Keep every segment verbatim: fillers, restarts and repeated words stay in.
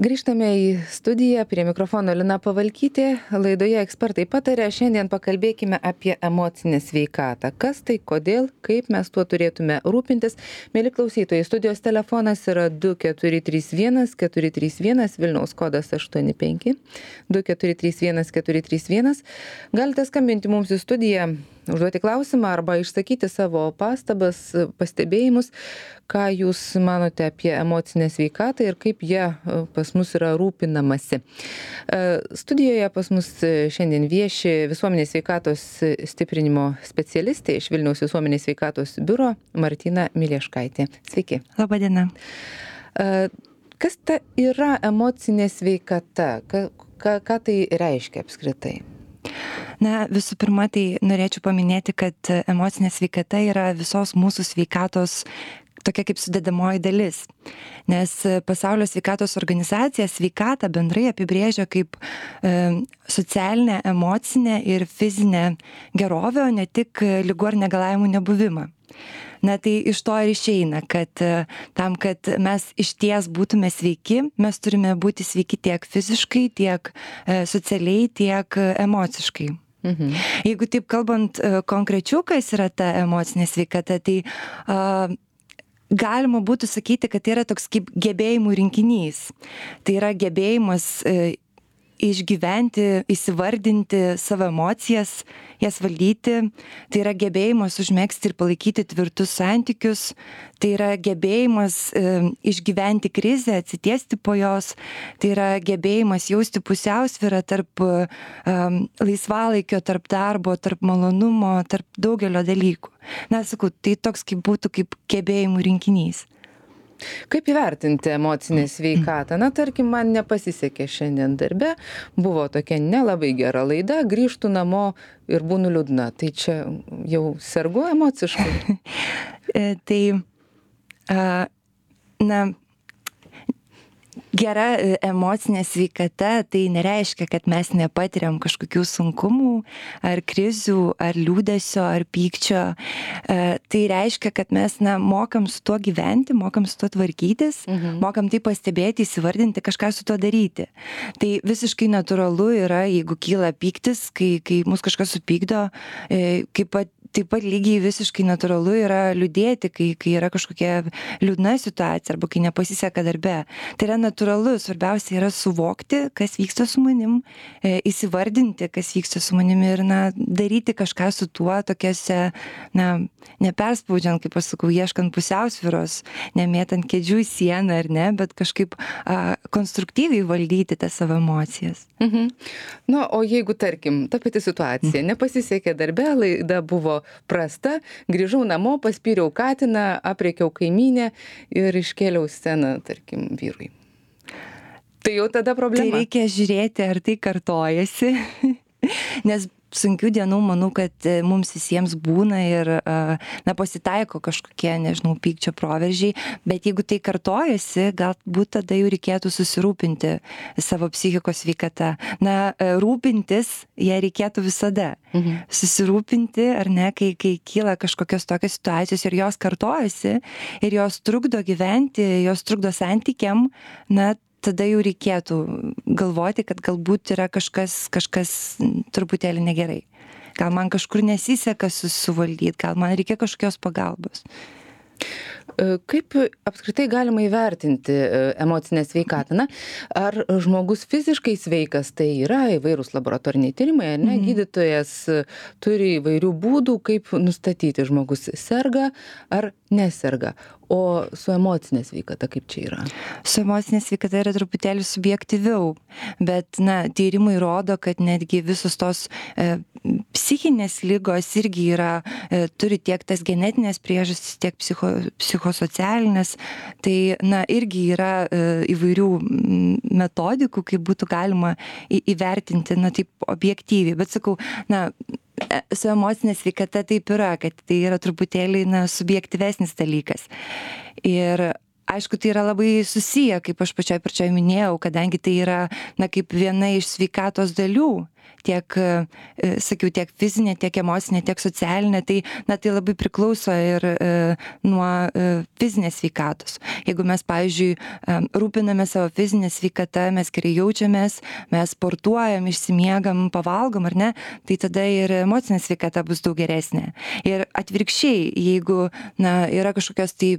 Grįžtame į studiją, prie mikrofono Lina Pavalkytė, laidoje ekspertai patarė, šiandien pakalbėkime apie emocinę sveikatą. Kas tai, kodėl, kaip mes tuo turėtume rūpintis. Mėly klausytojai, studijos telefonas yra du keturi trys vienas keturi trys vienas, Vilniaus kodas aštuoni penki, du keturi trys vienas keturi trys vienas. Galite skambinti mums į studiją, užduoti klausimą arba išsakyti savo pastabas, pastebėjimus, ką jūs manote apie emocinę sveikatą ir kaip jie pas mus yra rūpinamasi. Studijoje pas mus šiandien vieši visuomenės sveikatos stiprinimo specialistė iš Vilniaus visuomenės sveikatos biuro Martina Milieškaitė. Sveiki. Labą dieną. Kas ta yra emocinė sveikata? Ką, ką, ką tai reiškia apskritai? Na, visų pirma, tai norėčiau paminėti, kad emocinė sveikata yra visos mūsų sveikatos tokia kaip sudedamoji dalis. Nes Pasaulio sveikatos organizacija sveikatą bendrai apibrėžia kaip e, socialinę, emocinę ir fizinę gerovę, o ne tik ligų ar negalavimų nebuvimą. Na tai iš to ir išeina, kad tam, kad mes išties būtume sveiki, mes turime būti sveiki tiek fiziškai, tiek e, socialiai, tiek emociškai. Mhm. Jeigu taip kalbant e, konkrečiau, kas yra ta emocinė sveikata, tai a, galima būtų sakyti, kad tai yra toks kaip gebėjimų rinkinys. Tai yra gebėjimas e, išgyventi, įsivardinti savo emocijas, jas valdyti. Tai yra gebėjimas užmegzti ir palaikyti tvirtus santykius. Tai yra gebėjimas e, išgyventi krizę, atsitiesti po jos. Tai yra gebėjimas jausti pusiausvyrą tarp e, laisvalaikio, tarp darbo, tarp malonumo, tarp daugelio dalykų. Na, sakau, tai toks kaip būtų kaip gebėjimų rinkinys. Kaip įvertinti emocinę sveikatą? Na, tarkim, man nepasisekė šiandien darbe, buvo tokia nelabai gera laida, grįžtu namo ir būnu liūdna. Tai čia jau sergu emociškai? Tai, a, na, gera emocinė sveikata tai nereiškia, kad mes nepatiriam kažkokių sunkumų, ar krizių, ar liūdesio, ar pykčio. E, tai reiškia, kad mes na, mokam su tuo gyventi, mokam su tuo tvarkytis, mhm. mokam tai pastebėti, įsivardinti, kažką su tuo daryti. Tai visiškai natūralu yra, jeigu kyla pyktis, kai, kai mus kažkas supykdo, e, kaip pat taip pat lygiai visiškai natūralu yra liūdėti, kai, kai yra kažkokia liūdna situacija arba kai nepasiseka darbe. Tai yra natūralu, svarbiausia yra suvokti, kas vyksta su manim, e, įsivardinti, kas vyksta su manimi ir na, daryti kažką su tuo tokiose, na, neperspaudžiant, kaip aš sakau, ieškant pusiausvyros, nemėtant kėdžių į sieną ar ne, bet kažkaip a, konstruktyviai valdyti tas savo emocijas. Mhm. Na, o jeigu, tarkim, ta pati situacija, nepasisekė darbe, laida buvo prasta, grįžau namo, paspyriau katiną, apriekiau kaimynę ir iškėliau sceną, tarkim, vyrui. Tai jau tada problema. Tai reikia žiūrėti, ar tai kartojasi, nes sunkių dienų, manau, kad mums visiems būna ir, na, pasitaiko kažkokie, nežinau, pykčio proveržiai, bet jeigu tai kartojasi, galbūt tada jau reikėtų susirūpinti savo psichikos sveikata. Na, rūpintis ją reikėtų visada. Mhm. Susirūpinti, ar ne, kai, kai kyla kažkokios tokios situacijos ir jos kartojasi ir jos trukdo gyventi, jos trukdo santykiam, na, tada jau reikėtų galvoti, kad galbūt yra kažkas, kažkas truputėlį negerai. Gal man kažkur nesiseka susivaldyti, gal man reikia kažkokios pagalbos. Kaip apskritai galima įvertinti emocinę sveikatą? Na, ar žmogus fiziškai sveikas, tai yra įvairūs laboratoriniai tyrimai, ar ne? Mhm. Gydytojas turi įvairių būdų, kaip nustatyti, žmogus serga ar neserga. O su emocinė sveikata kaip čia yra? Su emocinė sveikata yra truputėlį subjektyviau, bet na, tyrimai rodo, kad netgi visos tos e, psichinės ligos irgi yra, e, turi tiek tas genetinės priežastis, tiek psicho, psichosocialinės. Tai na, irgi yra e, įvairių metodikų, kaip būtų galima į, įvertinti, na, taip objektyviai. Bet sakau, na, su emocinė sveikata taip yra, kad tai yra truputėlį na, subjektyvesnis dalykas. Ir aišku, tai yra labai susiję, kaip aš pačioj pradžioj minėjau, kadangi tai yra, na, kaip viena iš sveikatos dalių, tiek, sakiau, tiek fizinė, tiek emocinė, tiek socialinė, tai, na, tai labai priklauso ir e, nuo e, fizinės sveikatos. Jeigu mes, pavyzdžiui, e, rūpiname savo fizinę sveikatą, mes gerai jaučiamės, mes sportuojam, išsimiegam, pavalgom, ar ne, tai tada ir emocinė sveikata bus daug geresnė. Ir atvirkščiai, jeigu, na, yra kažkokios tai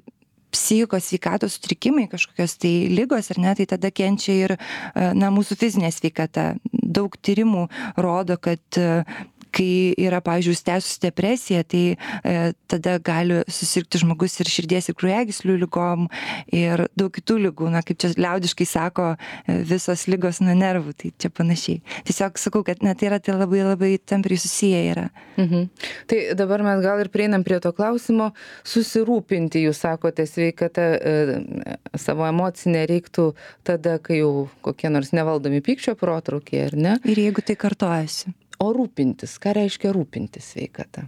psichikos sveikatos sutrikimai, kažkokios tai ligos, ar ne, tai tada kenčia ir, na, mūsų fizinė sveikata. Daug tyrimų rodo, kad kai yra, pavyzdžiui, užsitęsusi depresija, tai e, tada gali susirgti žmogus ir širdies ir kraujagyslių ligom ir daug kitų ligų, na, kaip čia liaudiškai sako, e, visos ligos nuo nervų, tai čia panašiai. Tiesiog sakau, kad, na, tai yra tai labai labai tampriai susiję yra. Mhm. Tai dabar mes gal ir prieinam prie to klausimo, susirūpinti, jūs sakote, sveikata e, savo emocinę reiktų tada, kai jau kokie nors nevaldomi pykčio protrūkiai, ar ne? Ir jeigu tai kartojasi. O rūpintis, ką reiškia rūpintis sveikata?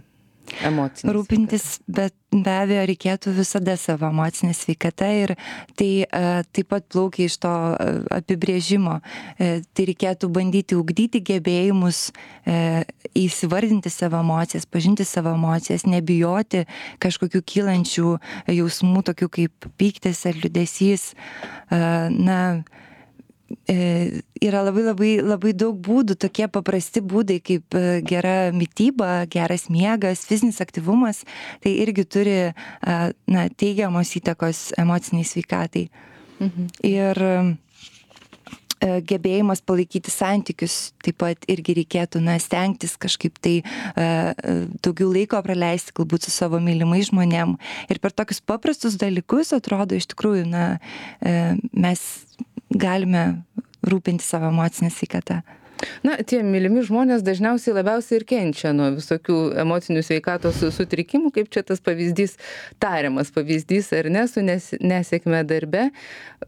Emocinė rūpintis, bet be abejo reikėtų visada savo emocinę sveikatą ir tai uh, taip pat plaukia iš to uh, apibrėžimo. Uh, tai reikėtų bandyti ugdyti gebėjimus, uh, įsivardinti savo emocijas, pažinti savo emocijas, nebijoti kažkokių kylančių jausmų, tokių kaip pyktis ar liūdesys. Uh, na, yra labai labai labai daug būdų, tokie paprasti būdai kaip gera mityba, geras miegas, fizinis aktyvumas, tai irgi turi, na, teigiamos įtakos emociniai sveikatai. Mhm. Ir gebėjimas palaikyti santykius taip pat irgi reikėtų, na, stengtis kažkaip tai daugiau laiko praleisti galbūt su savo mylimais žmonėm. Ir per tokius paprastus dalykus atrodo iš tikrųjų, na, mes galime rūpinti savo emocinę sveikatą. Na, tie mylimi žmonės dažniausiai labiausiai ir kenčia nuo visokių emocinių sveikatos sutrikimų, kaip čia tas pavyzdys, tariamas pavyzdys, ar ne, su nes, nesėkme darbe.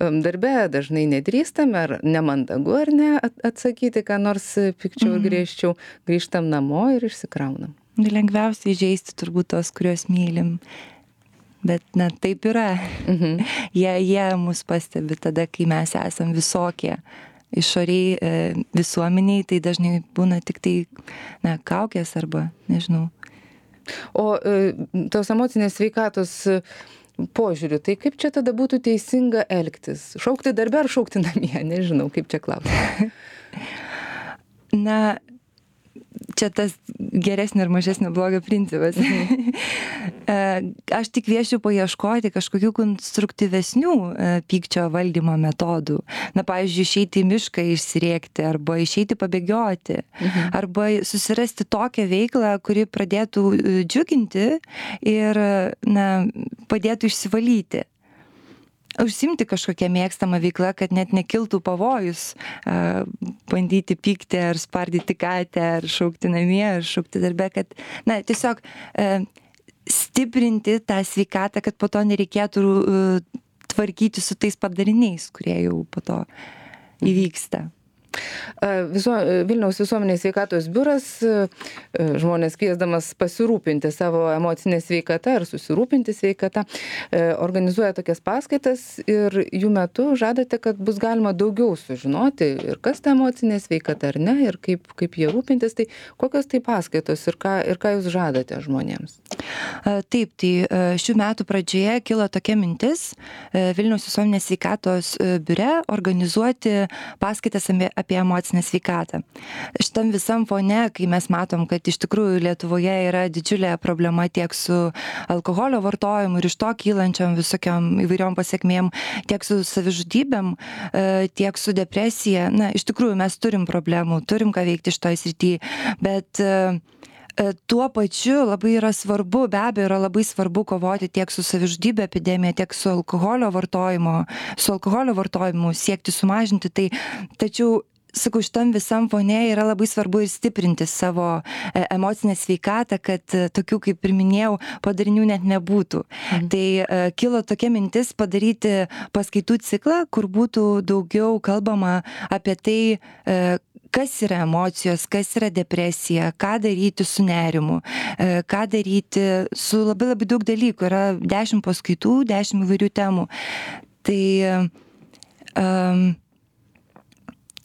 Darbe dažnai nedrįstame, ar nemandagu, ar ne, atsakyti, ką nors pikčiau ir griežčiau, grįžtam namo ir išsikraunam. Lengviausiai žeisti turbūt tos, kuriuos mylim. Bet, na, taip yra. Mhm. Jie, jie mus pastebi tada, kai mes esam visokie. Išoriai e, visuomeniai, tai dažnai būna tik tai, na, kaukės arba, nežinau. O e, tos emocinės sveikatos požiūriu, tai kaip čia tada būtų teisinga elgtis? Šaukti darbe ar šaukti namie? Nežinau, kaip čia klausti. Na, čia tas geresnio ir mažesnio blogio principas. Aš tik kviečiu paieškoti kažkokių konstruktyvesnių pykčio valdymo metodų. Na, pavyzdžiui, išeiti į mišką išsirėkti, arba išeiti pabėgioti, mhm. arba susirasti tokią veiklą, kuri pradėtų džiuginti ir, na, padėtų išsivalyti. Užsimti kažkokią mėgstamą veiklą, kad net nekiltų pavojus, uh, bandyti pykti ar spardyti katę, ar šaukti namie, ar šaukti darbe, kad, na, tiesiog uh, stiprinti tą sveikatą, kad po to nereikėtų uh, tvarkyti su tais padariniais, kurie jau po to įvyksta. Viso, Vilniaus visuomenės sveikatos biuras žmonės kviesdamas pasirūpinti savo emocinę sveikatą ar susirūpinti sveikatą, organizuoja tokias paskaitas ir jų metu žadate, kad bus galima daugiau sužinoti ir kas ta emocinė sveikata ar ne, ir kaip, kaip jie rūpintis, tai kokios tai paskaitos ir ką, ir ką jūs žadate žmonėms? Taip, tai šių metų pradžioje kilo tokia mintis Vilniaus visuomenės sveikatos biure organizuoti paskaitas apie emocinę sveikatą. Šitam visam fone, kai mes matom, kad iš tikrųjų Lietuvoje yra didžiulė problema tiek su alkoholio vartojimu ir iš to kylančiam visokiam įvairiom pasiekmėm, tiek su savižudybėm, tiek su depresija. Na, iš tikrųjų mes turim problemų, turim ką veikti šitoj srity, bet tuo pačiu labai yra svarbu, be abejo yra labai svarbu kovoti tiek su savižudybė epidemija, tiek su alkoholio vartojimo, su alkoholio vartojimu, siekti sumažinti tai, tačiau sakau, šitam visam fone yra labai svarbu ir stiprinti savo emocinę sveikatą, kad tokių, kaip ir minėjau, padarinių net nebūtų. Mhm. Tai uh, kilo tokia mintis padaryti paskaitų ciklą, kur būtų daugiau kalbama apie tai, uh, kas yra emocijos, kas yra depresija, ką daryti su nerimu, ką daryti su labai labai daug dalykų. Yra dešimt paskaitų, dešimt įvairių temų. Tai um,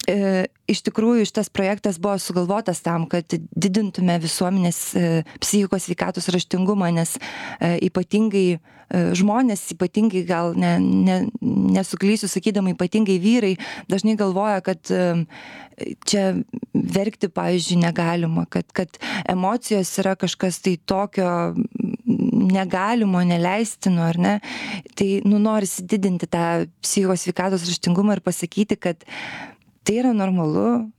e, iš tikrųjų šitas projektas buvo sugalvotas tam, kad didintume visuomenės e, psichikos sveikatos raštingumą, nes e, ypatingai e, žmonės, ypatingai gal ne, ne, nesuklysiu sakydama, ypatingai vyrai dažnai galvoja, kad e, čia verkti, pavyzdžiui, negalima, kad, kad emocijos yra kažkas tai tokio negalimo, neleistino, ar ne? Tai, nu, norisi didinti tą psichikos sveikatos raštingumą ir pasakyti, kad tai yra normalu,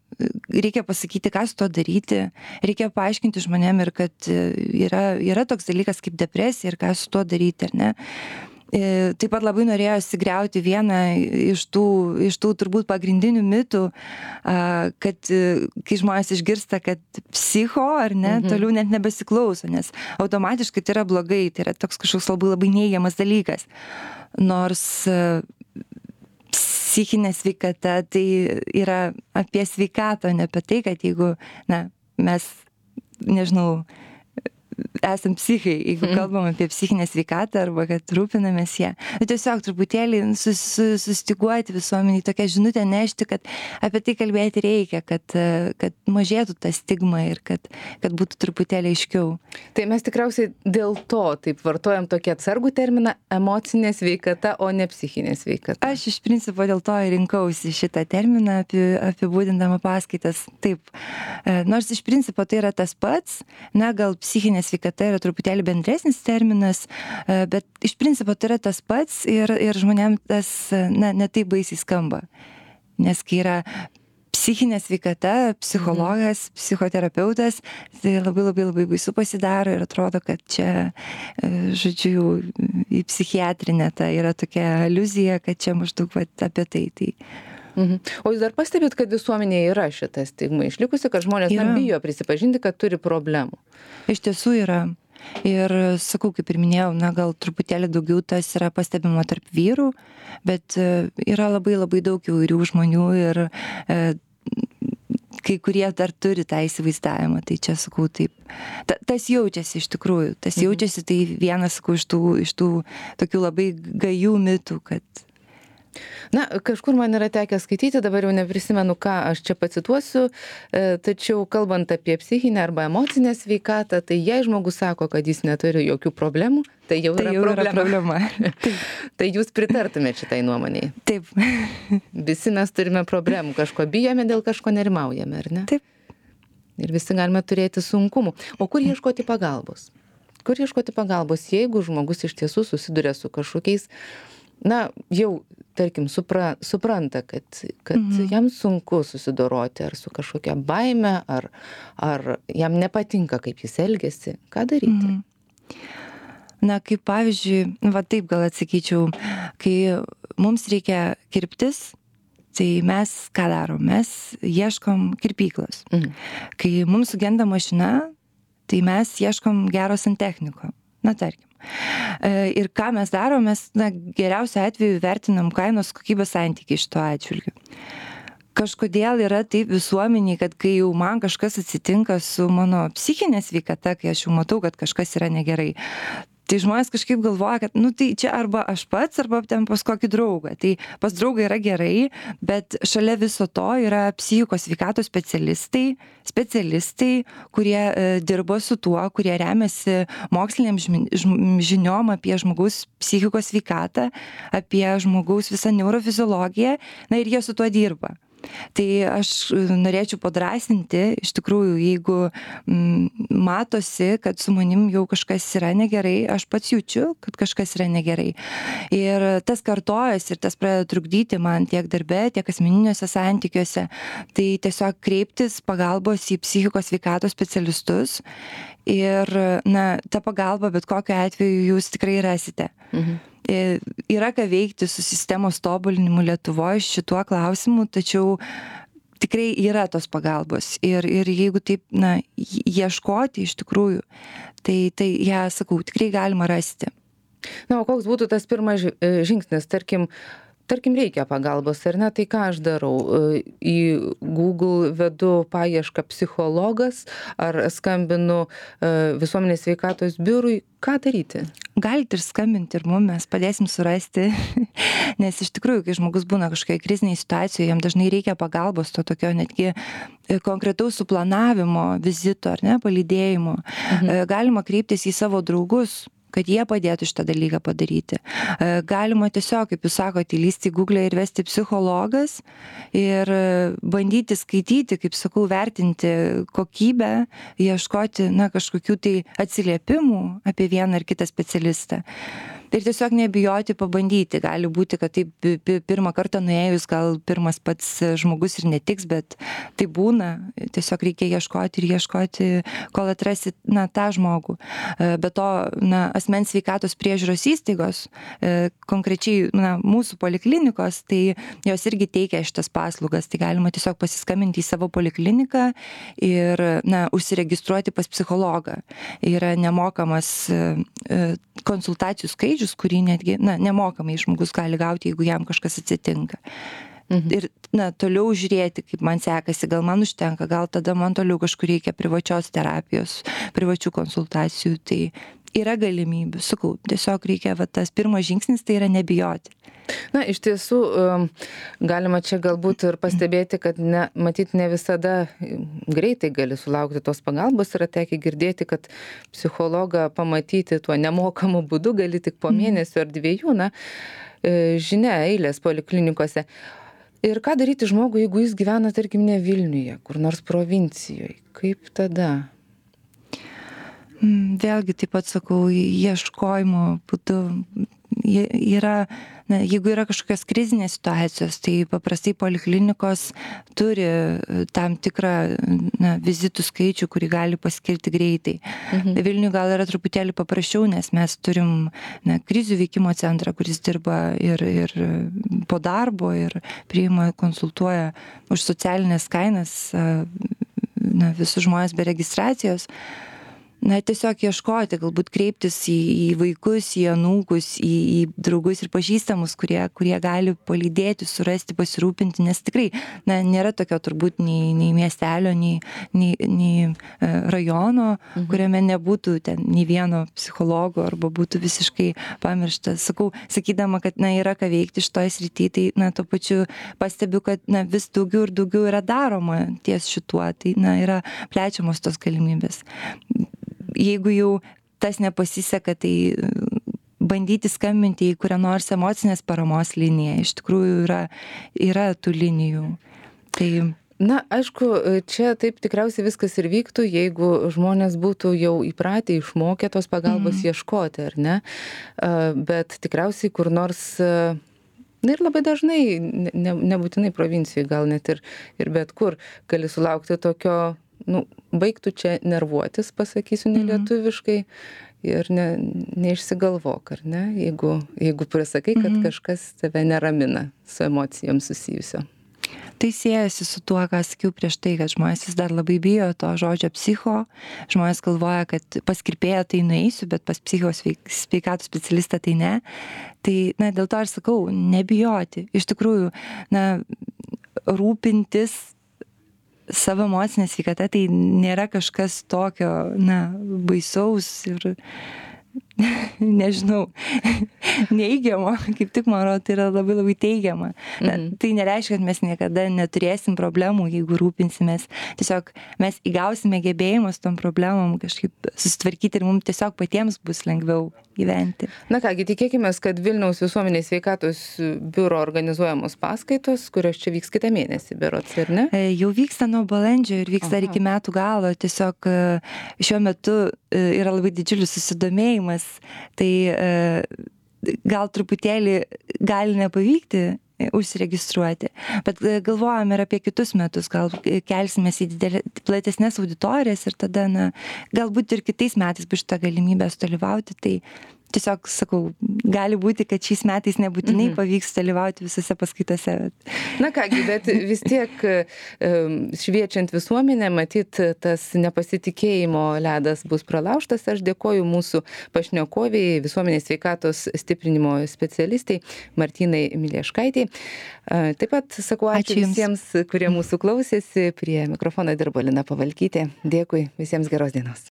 reikia pasakyti, ką su to daryti, reikia paaiškinti žmonėm ir kad yra, yra toks dalykas kaip depresija ir ką su to daryti, ar ne? Taip pat labai norėjosi griauti vieną iš tų, iš tų turbūt pagrindinių mitų, kad kai žmonės išgirsta, kad psicho ar ne, mhm. toliau net nebesiklauso, nes automatiškai tai yra blogai, tai yra toks kažkoks labai labai neigiamas dalykas. Nors psichinė sveikata tai yra apie sveikatą, ne apie tai, kad jeigu, na, mes, nežinau, esam psichai, jeigu kalbam apie psichinę sveikatą arba kad rūpinamės ją. Tiesiog truputėlį sus, sustiguoti visuomeniai, tokią žinutę nešti, kad apie tai kalbėti reikia, kad, kad mažėtų ta stigma ir kad, kad būtų truputėlį aiškiau. Tai mes tikriausiai dėl to taip vartojam tokį atsargų terminą emocinė sveikata, o ne psichinė sveikata. Aš iš principo dėl to ir rinkausi šitą terminą apibūdindama paskaitas. Taip, nors iš principo tai yra tas pats, na gal psichinė sveikata yra truputėlį bendresnis terminas, bet iš principo tai yra tas pats ir, ir žmonėm tas, na, ne taip baisiai skamba. Nes kai yra psichinė sveikata, psichologas, mhm. psichoterapeutas, tai labai labai labai baisu pasidaro ir atrodo, kad čia, žodžiu, į psichiatrinę ta yra tokia aliuzija, kad čia maždaug apie tai. tai Mhm. O jūs dar pastebėt, kad visuomenėje yra šita stigma išlikusi, kad žmonės na, bijo prisipažinti, kad turi problemų? Iš tiesų yra. Ir sakau, kaip ir minėjau, na gal truputėlį daugiau tas yra pastebima tarp vyrų, bet yra labai labai daug įvairių žmonių ir e, kai kurie dar turi tą įsivaizdavimą. Tai čia, sakau, taip. Ta, tas jaučiasi iš tikrųjų. Tas mhm. jaučiasi, tai vienas, sakau, iš tų, iš tų tokių labai gajų mitų, kad Na, kažkur man yra tekę skaityti, dabar jau neprisimenu, ką aš čia pacituosiu, tačiau kalbant apie psichinę arba emocinę sveikatą, tai jei žmogus sako, kad jis neturi jokių problemų, tai jau tai yra jau problema. Yra problema. Tai jūs pritartumėte šitai nuomonėje? Taip. Visi mes turime problemų, kažko bijome, dėl kažko nerimaujame, ar ne? Taip. Ir visi galime turėti sunkumų. O kur ieškoti pagalbos? Kur ieškoti pagalbos, jeigu žmogus iš tiesų susiduria su kažkokiais, na, jau, tarkim, supra, supranta, kad, kad mhm. jam sunku susidoroti ar su kažkokia baime, ar, ar jam nepatinka, kaip jis elgiasi. Ką daryti? Mhm. Na, kaip pavyzdžiui, va taip gal atsakyčiau, kai mums reikia kirptis, tai mes ką darom? Mes ieškom kirpyklos. Mhm. Kai mums sugenda mašina, tai mes ieškom gero santechniko. Na, tarkim. Ir ką mes darom, mes na, geriausiu atveju vertinam kainos kokybės santykį šito atžvilgiu. Kažkodėl yra taip visuomeniai, kad kai jau man kažkas atsitinka su mano psichinė sveikata, kai aš jau matau, kad kažkas yra negerai, tai žmonės kažkaip galvoja, kad, nu tai čia arba aš pats, arba ten pas kokį draugą. Tai pas draugą yra gerai, bet šalia viso to yra psichikos sveikatos specialistai, specialistai, kurie e, dirbo su tuo, kurie remiasi moksliniam žiniom apie žmogaus psichikos sveikatą, apie žmogaus visą neurofiziologiją, na ir jie su tuo dirba. Tai aš norėčiau padrasinti, iš tikrųjų, jeigu m, matosi, kad su manim jau kažkas yra negerai, aš pats jaučiu, kad kažkas yra negerai. Ir tas kartojas ir tas pradeda trukdyti man tiek darbe, tiek asmeniniuose santykiuose. Tai tiesiog kreiptis pagalbos į psichikos sveikatos specialistus ir, na, tą pagalbą bet kokiu atveju jūs tikrai rasite. Mhm. Yra ką veikti su sistemos tobulinimu Lietuvoje šituo klausimu, tačiau tikrai yra tos pagalbos. Ir, ir jeigu taip, na, ieškoti iš tikrųjų, tai, tai ją, sakau, tikrai galima rasti. Na, o koks būtų tas pirmas žingsnis, tarkim, tarkim, reikia pagalbos, ar ne, tai ką aš darau? Į Google vedu paiešką psichologas, ar skambinu visuomenės sveikatos biurui, ką daryti? Galite ir skambinti ir mum, mes padėsim surasti, nes iš tikrųjų, kai žmogus būna kažkokiai kriziniai situacijoje, jam dažnai reikia pagalbos, to tokio netgi konkretaus suplanavimo, vizito ar ne, palydėjimo. Mhm. Galima kreiptis į savo draugus, kad jie padėtų šitą dalyką padaryti. Galima tiesiog, kaip jūs sakote, įlysti į Google ir vesti psichologas ir bandyti skaityti, kaip sakau, vertinti kokybę, ieškoti, na, kažkokių tai atsiliepimų apie vieną ar kitą specialistą. Ir tiesiog nebijoti pabandyti. Gali būti, kad taip pirmą kartą nuėjus, gal pirmas pats žmogus ir netiks, bet tai būna. Tiesiog reikia ieškoti ir ieškoti, kol atrasi, na, tą žmogų. Be to, na, asmens sveikatos priežiūros įstaigos, konkrečiai, na, mūsų poliklinikos, tai jos irgi teikia šitas paslaugas. Tai galima tiesiog pasiskambinti į savo polikliniką ir, na, užsiregistruoti pas psichologą. Yra nemokamas konsultacijų skaičius, kurį netgi, na, nemokamai žmogus gali gauti, jeigu jam kažkas atsitinka. Mhm. Ir, na, toliau žiūrėti, kaip man sekasi, gal man užtenka, gal tada man toliau kažkur reikia privačios terapijos, privačių konsultacijų, tai yra galimybių, sakau, tiesiog reikia, va, tas pirmas žingsnis, tai yra nebijoti. Na, iš tiesų, galima čia galbūt ir pastebėti, kad ne, matyt, ne visada greitai gali sulaukti tos pagalbos. Yra tekę girdėti, kad psichologą pamatyti tuo nemokamu būdu gali tik po mėnesio ar dviejų, na, žinia, eilės poliklinikose. Ir ką daryti žmogui, jeigu jis gyvena, tarkim, ne Vilniuje, kur nors provincijoje? Kaip tada? Vėlgi, taip pat sakau, ieškojimo būdu yra, na, jeigu yra kažkokios krizinės situacijos, tai paprastai poliklinikos turi tam tikrą, na, vizitų skaičių, kurį gali paskirti greitai. Mhm. Vilniuje gal yra truputėlį paprasčiau, nes mes turim, na, krizių veikimo centrą, kuris dirba ir, ir po darbo, ir priima, konsultuoja už socialinės kainas, na, visus žmonės be registracijos. Na, tiesiog ieškoti, galbūt kreiptis į, į vaikus, į anūkus, į, į draugus ir pažįstamus, kurie, kurie gali palydėti, surasti, pasirūpinti, nes tikrai, na, nėra tokio turbūt nei, nei miestelio, nei, nei, nei rajono, mhm. kuriame nebūtų ten nei vieno psichologo arba būtų visiškai pamirštas. Sakau, sakydama, kad, na, yra ką veikti šitoje srityje, tai, na, tuo pačiu pastebiu, kad, na, vis daugiau ir daugiau yra daroma ties šituo, tai, na, yra plečiamos tos galimybės. Jeigu jau tas nepasiseka, tai bandyti skambinti į kurią nors emocinės paramos liniją. Iš tikrųjų yra, yra tų linijų. Tai... Na, aišku, čia taip tikriausiai viskas ir vyktų, jeigu žmonės būtų jau įpratę, išmokę tos pagalbos mm. ieškoti, ar ne? Bet tikriausiai kur nors... Na ir labai dažnai, ne, nebūtinai provincijoje, gal net ir, ir bet kur, gali sulaukti tokio... Nu, baigtų čia nervuotis, pasakysiu nelietuviškai, ir ne, neišsigalvok, ar ne, jeigu, jeigu prisakai, kad mm-hmm. kažkas tave neramina su emocijom susijusio. Tai siejasi su tuo, ką sakiau prieš tai, kad žmonės vis dar labai bijo to žodžio psicho. Žmonės galvoja, kad pas kirpėją tai nueisiu, bet pas psichos sveikatos specialistą tai ne. Tai, na, dėl to aš sakau, nebijoti. Iš tikrųjų, na, rūpintis savo emocinė sveikata, tai nėra kažkas tokio, na, baisaus ir nežinau, neigiamo, kaip tik man rodo, tai yra labai labai teigiama. Mhm. Tai nereiškia, kad mes niekada neturėsim problemų, jeigu rūpinsimės. Tiesiog mes įgausime gebėjimus tom problemom kažkaip susitvarkyti ir mums tiesiog patiems bus lengviau gyventi. Na kągi, tikėkime, kad Vilniaus visuomenės sveikatos biuro organizuojamos paskaitos, kurios čia vyks kitą mėnesį, berods, ar ne? Jau vyksta nuo balandžio ir vyks dar iki metų galo. Tiesiog šiuo metu yra labai didžiulis susidomėjimas. Tai gal truputėlį gali nepavykti užsiregistruoti, bet galvojam ir apie kitus metus, gal kelsimės į didelį, platesnės auditorijas ir tada, na, galbūt ir kitais metais bus šitą galimybę sudalyvauti, tai tiesiog sakau, gali būti, kad šiais metais nebūtinai mhm. pavyks dalyvauti visose paskaitose. Na kągi, bet vis tiek šviečiant visuomenę, matyt, tas nepasitikėjimo ledas bus pralaužtas. Aš dėkoju mūsų pašnekoviai, visuomenės sveikatos stiprinimo specialistai Martynai Milieškaitei. Taip pat sakau ačiū, ačiū visiems, kurie mūsų klausėsi. Prie mikrofono dirbo Lina Pavalkytė. Dėkui, visiems geros dienos.